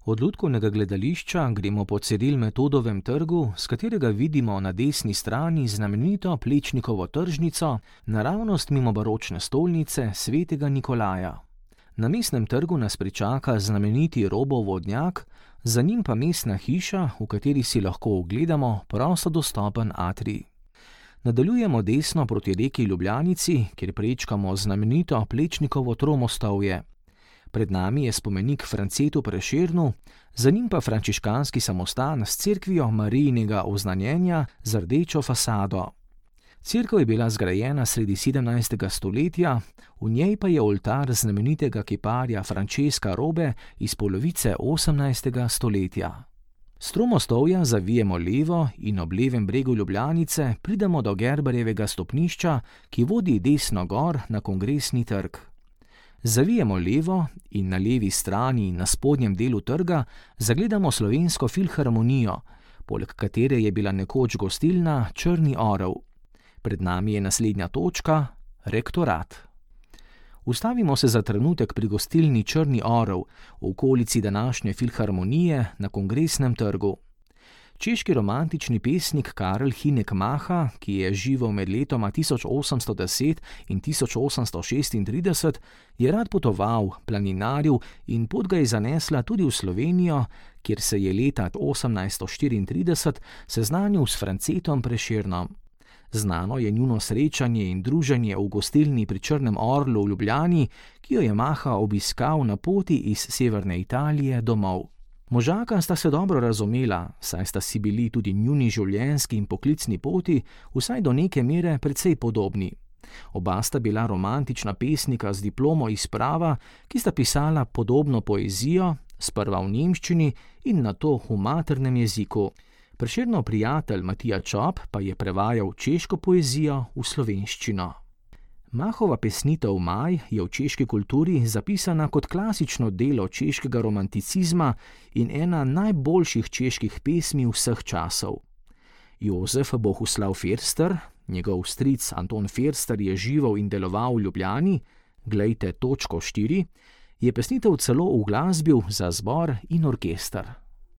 Od Lutkovnega gledališča gremo po Ciril Metodovem trgu, s katerega vidimo na desni strani znamenito Plečnikovo tržnico, naravnost mimo baročne stolnice svetega Nikolaja. Na Mestnem trgu nas pričaka znameniti Robov vodnjak, za njim pa mestna hiša, v kateri si lahko ogledamo prosto dostopen atrij. Nadaljujemo desno proti reki Ljubljanici, kjer prečkamo znamenito Plečnikovo tromostovje. Pred nami je spomenik Francetu Prešernu, za njim pa frančiškanski samostan s cerkvijo Marijinega oznanjenja z rdečo fasado. Cerkev je bila zgrajena sredi 17. stoletja, v njej pa je oltar znamenitega kiparja Francesca Robe iz polovice 18. stoletja. S tromostovja zavijemo levo in ob levem bregu Ljubljanice pridemo do Gerbarjevega stopnišča, ki vodi desno gor na Kongresni trg. Zavijemo levo in na levi strani na spodnjem delu trga zagledamo Slovensko filharmonijo, poleg katere je bila nekoč gostilna Črni orel. Pred nami je naslednja točka, rektorat. Ustavimo se za trenutek pri gostilni Črni orel, v okolici današnje filharmonije na Kongresnem trgu. Češki romantični pesnik Karel Hynek Mácha, ki je živel med letoma 1810 in 1836, je rad potoval, planinaril in pot ga je zanesla tudi v Slovenijo, kjer se je leta 1834 seznanil s Francetom Prešernom. Znano je njuno srečanje in druženje v gostilni pri Črnem orlu v Ljubljani, ki jo je Mácha obiskal na poti iz severne Italije domov. Možaka sta se dobro razumela, saj sta si bili tudi njuni življenjski in poklicni poti vsaj do neke mere precej podobni. Oba sta bila romantična pesnika z diplomo iz prava, ki sta pisala podobno poezijo, sprva v nemščini in nato v maternem jeziku. Prešernov prijatelj Matija Čop pa je prevajal češko poezijo v slovenščino. Máchova pesnitev Maj je v češki kulturi zapisana kot klasično delo češkega romanticizma in ena najboljših čeških pesmi vseh časov. Jozef Bohuslav Firster, njegov stric Anton Firster je živel in deloval v Ljubljani, glejte točko 4, je pesnitev celo uglasbil za zbor in orkester.